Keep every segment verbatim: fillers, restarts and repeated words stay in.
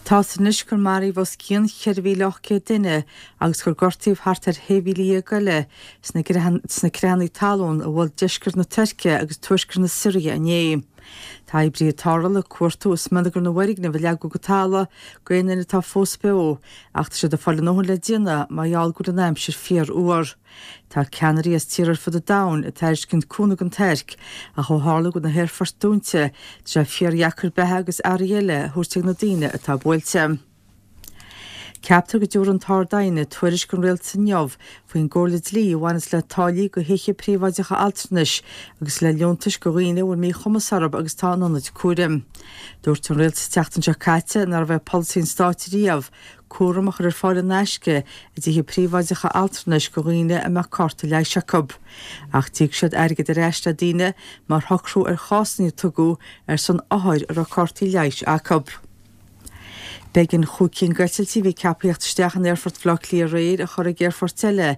Tá anois gur maraíodh os cionn ceithre mhíle ocht gcéad duine agus gur gortaíodh thart ar shé mhíle dhéag eile sna creathanna talún a bhuail deisceart na Tuirce agus tuaisceart na Siria inné. Tá oibrithe tarrthála ag cuartú i smionagar na bhfoirgneamh a leagadh go talamh go aon duine atá fós beo ach tá siad ag fáil a ndóthain le déanamh mar gheall go bhfuil an aimsir fíorfhuar. Tá ceannairí as tíortha ar fud an domhain ag tairiscint cúnamh don Tuirc ach ó tharla go bhfuil na haerfoirt dúnta tá sé fíordheacair beatha agus earraí eile a thabhairt ag na daoine atá buailte. Ceaptar go dtabharfaidh an tArd-Aighne tuairisc don rialtas inniu faoin gcomhairle dlí a bhaineas le táillí do thithe príobháideacha altranais agus le liúntais do dhaoine a bhfuil míchumas orthu agus atá in ionaid cúraim. Dúirt an rialtas an tseachtain seo caite nárbh é polasaí an stáit riamh cúram a chur ar fáil in aisce i dtithe príobháideacha altranais do dhaoine a mbeadh cárta leighis acu. Ach d'íoc siad airgead ar ais le daoine mar shocrú ar chásanna a tugadh ar son othair a raibh cártaí leighis acu. B'éigean chúig cinn d'eitiltí a bhí ceaptha a theacht isteach in aerfort Bhaile Átha Cliath aréir a chur ag aerfoirt eile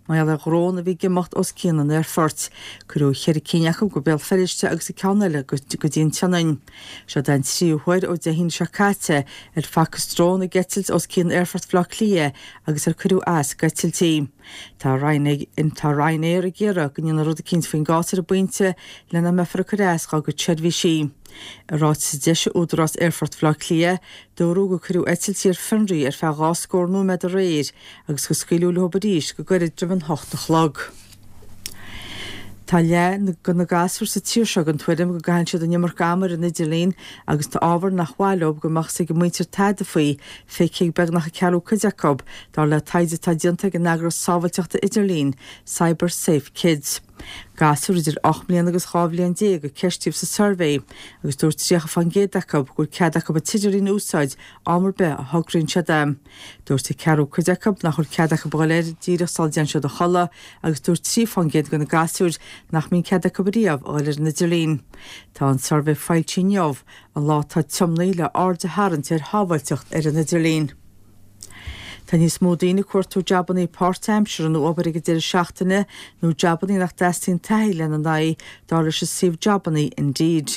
mar gheall ar dhrón a bhí ag imeacht os cionn an aerfoirt. Cuireadh ceithre cinn acu go Béal Feirste agus an ceann eile go dtí an tSionainn. Seo den tríú huair ó Dé hAoine seo caite ar facthas drón ag eitilt os cionn aerfort Bhaile Átha Cliath agus ar cuireadh as d'eitiltí. Tá Ryanair ag iarraidh go ndéanfaí rud eicínt faoin gcás ar an bpointe le nach mbeifear ag cur as dá gcuid seirbhísí. I ráiteas a d'eisigh Údarás Aerfort Bhaile Átha Cliath, dúradh gur cuireadh eitiltí ar fionraí ar feadh dhá scór nóiméad aréir agus gur scaoileadh leo arís go gairid roimh an hocht a chlog. Tá leath de na gasúir sa tír seo den tuairim go gcaitheann siad an iomarca ama ar an idirlíon agus tá ábhar nach mhaith leo go mbeadh a fhios ag a muintir tada faoi feicthe ag beagnach an ceathrú cuid acu, dar le taighde atá déanta ag an eagras sábháilteachta idirlín, Cyber Safe Kids. Gasúir idir ocht mbliana agus dhá bhliain déag a ceistíodh sa suirbhé agus dúirt tríocha faoin gcéad acu go bhfuil cead acu an t-idirlíon a úsáid am ar bith a thograíonn siad é. Dúirt an ceathrú cuid acu nach bhfuil cead acu a dhul air díreach sula dtéann siad a chodladh agus dúirt trí faoin gcéad de na gasúir nach mbíonn cead acu riamh a dhul ar an idirlíon. Tá an suirbhé foilsithe inniu, an lá atá tiomnaithe le aird a tharraingt ar shábháilteacht ar an idirlíon. Tá níos mó daoine ag cuartú jabannaí páirtaimseartha nó obair ag an deireadh seachtaine nó jabannaí nach dteastaíonn taithí lena n-aghaidh dar leis an suíomh jabannaí Indeed.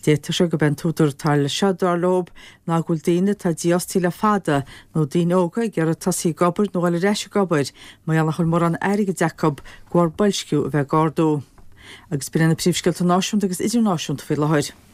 D'fhéadfadh sé gurb é an t-údar atá leis seo dar leo ná go bhfuil daoine atá dífhostaithe le fada nó daoine óga ag iarraidh tosaí ag obair nó dul ar ais ag obair mar gheall nach bhfuil mórán airgid acu de bharr boilsciú a bheith ag ardú. Agus b'in na príomhscéalta náisiúnta agus idirnáisiúnta faoi láthair.